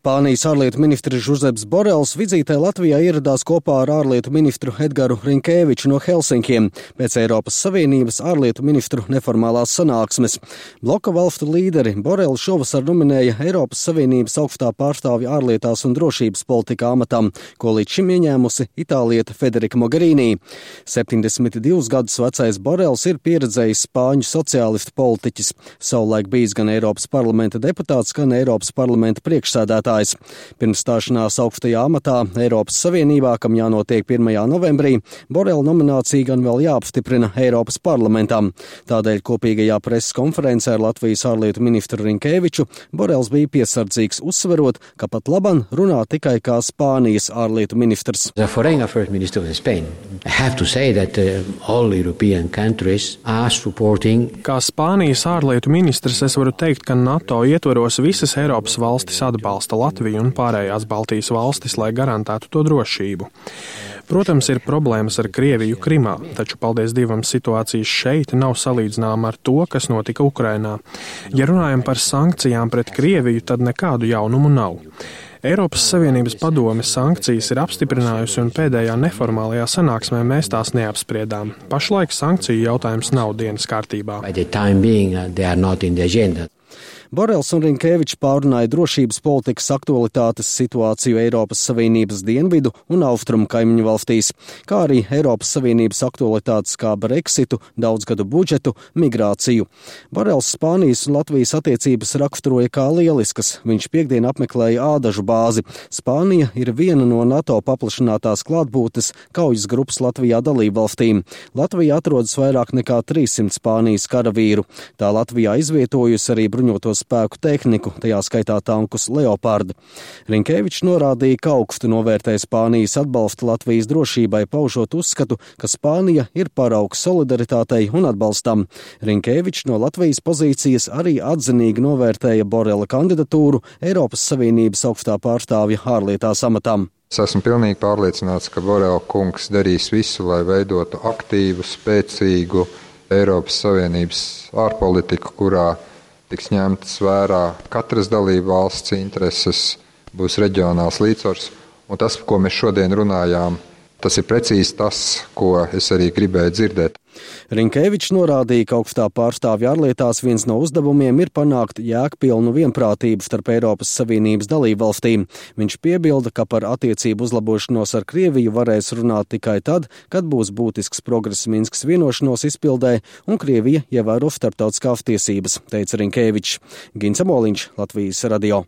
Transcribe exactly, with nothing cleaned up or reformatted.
Spānijas ārlietu ministrs Žuzeps Borels vizītē Latvijā ieradās kopā ar ārlietu ministru Edgaru Rinkēviču no Helsinkiem pēc Eiropas Savienības ārlietu ministru neformālās sanāksmes. Bloka valstu līderi Borels šovasar nominēja Eiropas Savienības augstā pārstāvja ārlietās un drošības politikā amatam, ko līdz šim ieņēmusi itālieta Federika Mogherini. septiņdesmit divus gadus vecais Borels ir pieredzējis spāņu sociālistu politiķis, savulaik bijis gan Eiropas parlamenta deputāts, gan Eiropas parlamenta priekšsēdētājs. Pirms stāšanās augstajā amatā Eiropas Savienībā, kam jānotiek pirmajā novembrī, Borela nominācija gan vēl jāapstiprina Eiropas parlamentam. Tādēļ kopīgajā preses konferencē ar Latvijas ārlietu ministru Rinkēviču Borels bija piesardzīgs, uzsverot, ka pat laban runā tikai kā Spānijas ārlietu ministrs. Kā Spānijas ārlietu ministrs es varu teikt, ka NATO ietvaros visas Eiropas valstis atbalsta Latviju un pārējās Baltijas valstis, lai garantētu to drošību. Protams, ir problēmas ar Krieviju Krimā, taču, paldies Dievam, situācijas šeit nav salīdzināma ar to, kas notika Ukrainā. Ja runājam par sankcijām pret Krieviju, tad nekādu jaunumu nav. Eiropas Savienības padome sankcijas ir apstiprinājusi un pēdējā neformālajā sanāksmē mēs tās neapspriedām. Pašlaik sankciju jautājums nav dienas kārtībā. Borels un Rinkēvičs pārunāja drošības politikas aktualitātes, situāciju Eiropas Savienības dienvidu un austrumu kaimiņu valstīs, kā arī Eiropas Savienības aktualitātes kā Brexitu, daudzgadu budžetu, migrāciju. Borels Spānijas un Latvijas attiecības raksturoja kā lieliskas. Viņš piekdien apmeklēja ādažu bāzi. Spānija ir viena no NATO paplašinātās klātbūtnes kaujas grupas Latvijā dalībvalstīm. Latvija atrodas vairāk nekā trīssimt Spānijas karavīru. Tā Latvijā izvietojusi arī bruņotos spēku tehniku, tajā skaitā tankus Leopard. Rinkēvičs norādīja, ka augstu novērtēja Spānijas atbalstu Latvijas drošībai, paužot uzskatu, ka Spānija ir paraugs solidaritātei un atbalstam. Rinkēvičs no Latvijas pozīcijas arī atzinīgi novērtēja Borela kandidatūru Eiropas Savienības augstā pārstāvja ārlietās amatam. Es esmu pilnīgi pārliecināts, ka Borela kungs darīs visu, lai veidotu aktīvu, spēcīgu Eiropas Savienības ārpolitiku, kurā tiks ņemtas vērā katras dalību valsts intereses, būs reģionāls līdzsvars. Un tas, ko mēs šodien runājām, tas ir precīzi tas, ko es arī gribēju dzirdēt. Rinkēvičs norādīja, ka augstā pārstāvja ārlietās viens no uzdevumiem ir panākt jēgpilnu vienprātību starp Eiropas Savienības dalībvalstīm. Viņš piebilda, ka par attiecību uzlabošanos ar Krieviju varēs runāt tikai tad, kad būs būtisks progress Minskas vienošanos izpildē un Krievija ievēro starptautiskās tiesības, teica Rinkēvičs. Gins Amoliņš, Latvijas radio.